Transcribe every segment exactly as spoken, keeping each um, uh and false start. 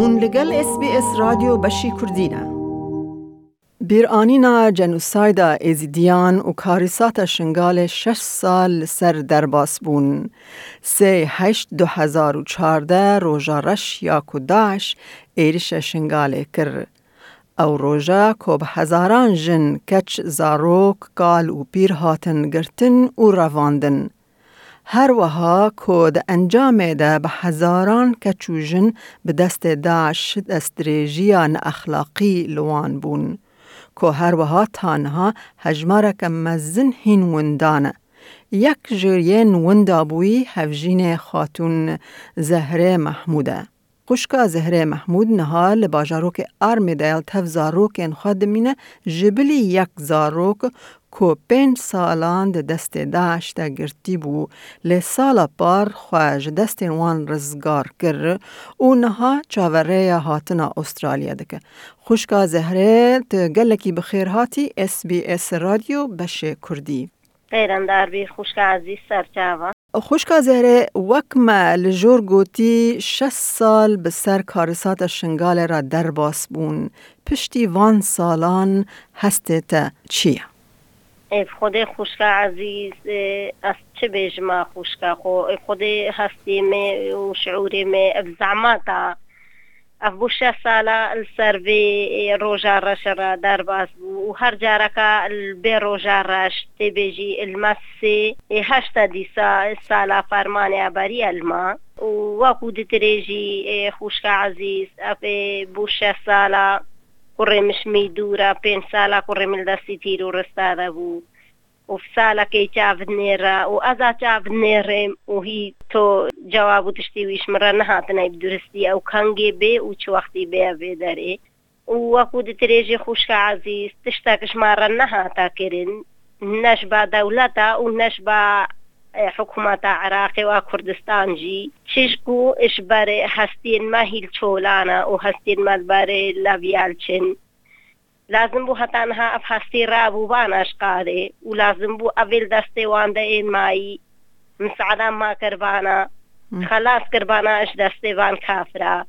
Hûn li gel S B S Radyo beşî Kurdî ne. Bîranîna cenosayda Êzîdiyan û karîsata Şingalê şeş sal li ser derbas bûn. Sê heşt du hezar û çardeh roja reş ya ku DAIŞ êrişa Şingalê kir. Ew roja ku bi hezaran jin, keç, zarok, kal û pîr hatin girtin û revandin. Her wiha ku di encamê de bi hezaran keç û jin bi destê DAIŞ destdirêjiya neexlaqî li wan bûn, ku her wiha ta niha hejmareke mezin hîn winda ne. Yek ji yên winda bûyî hevjînê Xatûn Zehrê Mehmûd e. Xwişka Zehrê Mehmûd niha li bajarokê Armê de ya li tev zarokên xwe dimîne, ji bilî yek zarok ku pênc salan di destê DAIŞ de girtî bû, lê sala par xwe ji destên wan rizgar kir û niha çaverêya hatina Astralya dike. Xwişka Zehrê, tu gelekî bi xêr hatî S B S Radyo beşê Kurdî. Xêrendar bî, xwişka ezîz, serçava. Xwişka Zehrê, wek me li jor gotî, şeş sal bi ser karîsata Şingalê re derbas bûn. Piştî van salan hestê te çi ye? Ê, bi Xwedê xwişka ezîz, ê, ez çi bêjim a xwişka xwe? Ê, Xwedê hestê me û şiûrê me, ev zehmeta, ev bû şeş sala li ser vê, ê, roja reş re derbas bû û her careka li bê roja reş tê bêjî li me sê, ê, heşta dîsa sala fermanê eberiye li me û wekû ditirêjî, ê, xwişka ezîz, ev ê bû şeş sala kurê min ji min dûr e, pênc sala kurê min li destî tîrorista de bû. Û salekê çav nêre û ez a çav nêrêm û hî to cewab û tiştî wî ji min re nehatine bi duristî ew kengê bê û çi wextî bê vê derê. Û wekû ditirêjî xwişka ezîz, tiştek ji me re nehate kirin, ne ji ba dewleta û ne ji ba, e, hikûmeta Iraqê û a Kurdistan jî. Çi ji ku ji ber hestiyên me hîl çolan e û hestiyên me li ber leviya li çin. Lazim bû heta niha ev hestî rabûbana ji qadê û lazim bû ev ê li destê wan de ên mayî misaada ma kirbana, Hmm. xelas kirbana ji destê van kafira.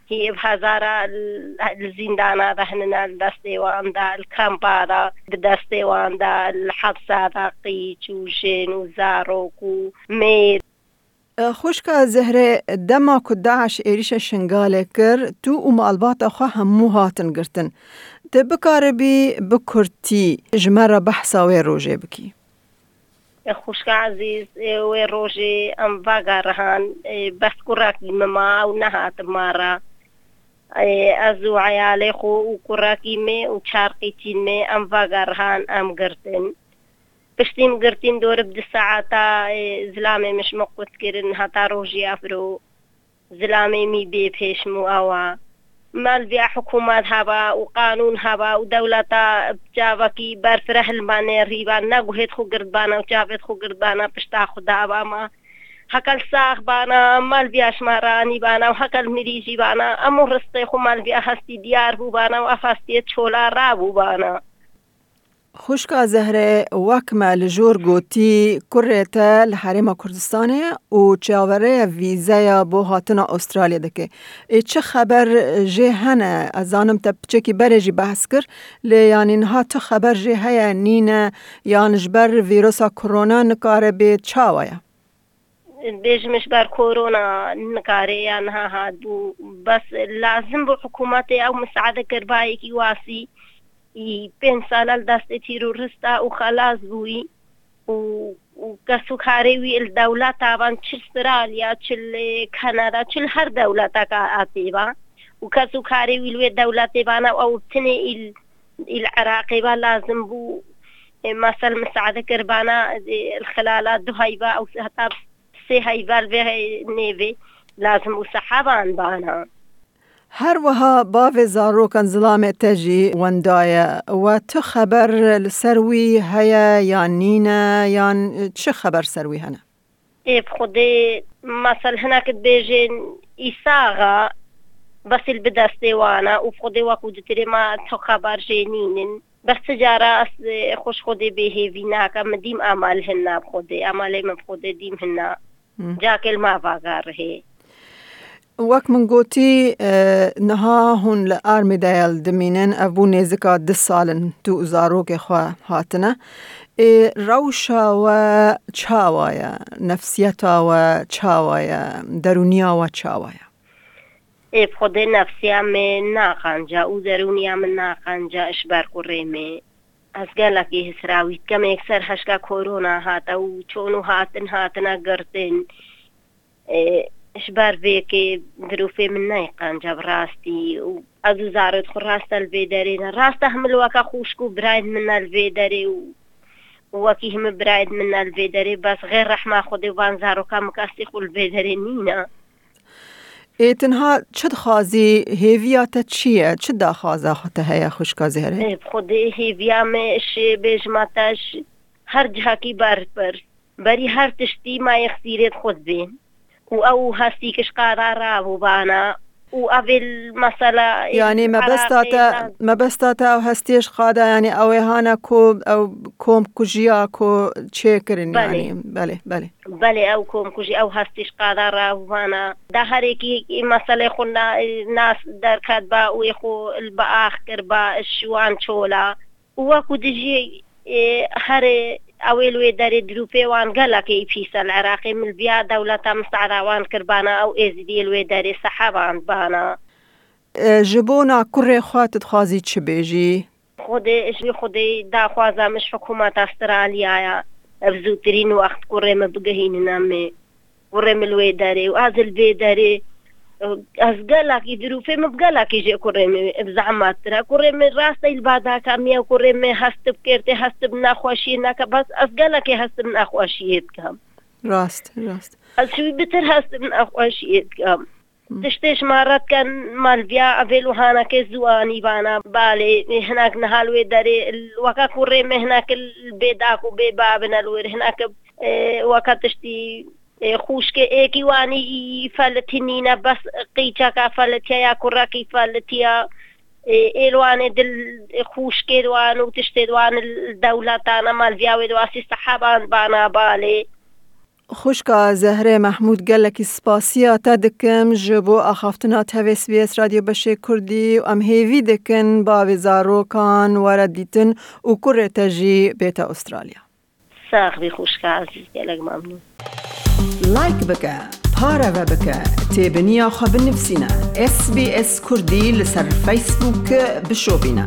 Hî ev hezara li, li zîndana de hinine, li destê wan de, li kampa de, bi destê wan de, li hepsa de qîç û jin û zarok û mêr. Xwişka Zehrê, dema ku DAIŞ êrîşa Şingalê kir, tu û malbata xwe hemû hatin girtin. Tu bikaribî bi kurtî ji me re behsa wê rojê bikî? Xwişka ezîz, wê rojê em vegerihan, bes kurekî min ma û nehatim ma re. Ez û eyalê xwe û kurekî me û çar qîçîn me em vegerihan, em girtin. Piştî min girtîn dorib du saeta, ê, zilamê min ji min qut kirin heta rojî evro. Zilamê min bê pêş min û ewa. Malviya hikûmet heba û qanûn heba û dewleta çavekî berfireh li me nêrîba, ne guhêt xwe girdbana û çavêt xwe girdbana pişta xwe daba me. Hekel sax bana, malviya ji me ranîbana û hekel mirî jî bana, em û ristê xwe malviya hestî diyar bûbana û ev hestiyê çola rabûbana. Xwişka Zehrê, wek me li jor gotî, kurê te li Herêma Kurdistanê ye û çaverêya vîzeya bo hatina Astralya dike. Ê çi xeber jê hene? Ez zanim te piçekî berê jî behs kir, lê yanî niha tu xeber jê heye, nîne, yan ji ber vîrusa korona nikare bê, çawa ye? Bêjim ji ber korona nikare ya niha hatbû. Bes lazim bû hikûmetê ew misaade kirbayekî wasî. Î pênc sala li destê terorista û xelas bûyî û, û kes û karê wî li dewleta van, çi Australya, çi li Kanada, çi li her dewleteka hatê va û kes û karê wî li wê dewletê vana û ew tinê îl, îl Iraqê va lazim bû, e, mesel misaade kirbana, e, li xilala du heyva ew heta sê heyva li vê nêvê lazim û seheban bana. Her wiha bavê zarokan zilamê te jî wendaye. We tu xeber li ser wî heye yan nîne, yan çi xeber ser wî hene? Ê, bi Xwedê, mesel hinek dibêjin, îsaxa, bes îl bi destê wan e û bi Xwedê wekû ditirê ma tu xeber jê nînin. Bes ti cara ez, ê, xwe ji Xwedê bêhêvî nakim, min dîm emal hinna bi Xwedê, emalê min bi Xwedê dîm hinna. Hmm. Cakê li ma vagarihê. Wek min gotî, e, niha hûn li Armidale dimînin, ev bû nêzika du sal in tu û zarokê xwe hatine. Ê, rewşa we çawa ye? Nefsiyeta we çawa ye? Derûniya we çawa ye? Ê, bi Xwedê nefsiya me naqanca û derûniya min naqanca ji ber kurê me. Ez gelekî hisrawî dikem, êkser heşka korona hate û çon û hatin hatine girtin. Ê, ji ber vê yekê dirûfê min neyê qenca bi rastî û ez û zarê xwe rast e li vê derê ne. Rast e hemil weke xwişk û birayên min ne li vê derê û, û wekî hemî birayên min ne li vê derê, bes xêr rehma Xwedê van zaroka min kesî xwe li vê derê nîne. Ê, tu niha çi dixwazî? Hêviya te çi ye? Çi daxwaza xwe te heye, xwişka Zehrê? Ê, bi Xwedê hêviya me, ji bêjima te, ji her cihakî ber, ber. Berî her tiştî ma yê xizîrê xwe dibên. Û ew hestî ki ji qada rabû bana. Û ev ê mesela ê Yanî mebesta Iraqê te, lan- mebesta te ew hestiyê ji qada, yanî ew ê hana ku ew komkujiya ku çêkirin, Belê. Yanî, belê, belê. Belê, ew komkujî, ew hestî ji qada rabû bana. Da herekî meselê xwe na-, nas derket ba û ê xwe li biax kir ba, ji wan çola. Û wekû dijî, ê, herê ew ê li wê derê dirûpê wan gelekê pîs e li Iraqê, min li viya dewleta misaada wan kirbana, ew êzidiyê li wê derê seheban bana. E, ji bona kurê xwe tu dixwazî çi bêjî? Xwedê, ji Xwedê daxwaza min ji hikûmeta Astraliyaya, ev zûtirîn wext kurê min bigihînine me. Kurê min li wê derê û ez li vê derê, ez gelekî dirûfê min bi gelekî jê kurê min bi zehmet tire. Kurê min rastey li badaka min ye, kurê min hest bi kêrtê, hest bi nexweşiyê neke, bes ez gelekî hest bi nexweşiyê dikem. Rast, rast. Ez ji wî bitir hest bi nexweşiyê dikem. Hı. Tiştê ji me re dikin, me li viya evê li hanekê ziwanî bana. Balê, hinek niha li wê derê, weke kurê min hinek li bê dak û bê babine li wir, hinek, e, weke tiştî Ê, xûşkê êkî wanî î felitî nîne, bes qîçeka felitiye ya kurekî felitiye. Ê, êl wanê dil xûşkê wan û tiştê wan li dewletan e, malviya wê diwasî seheban bana balê. Xwişka Zehrê Mehmûd, gelekî spasiya te dikim ji bo axaftina tevê S B S Radyo Beşê Kurdî û em hêvî dikin bavê zarokan were dîtin û kurê te jî bête Australya. Sax bî xwişka ezîz, gelek memnûn. Like bike, pareve bike, têbiniya xwe binivîsîne. S B S Kurdî li ser Facebook bişopîne.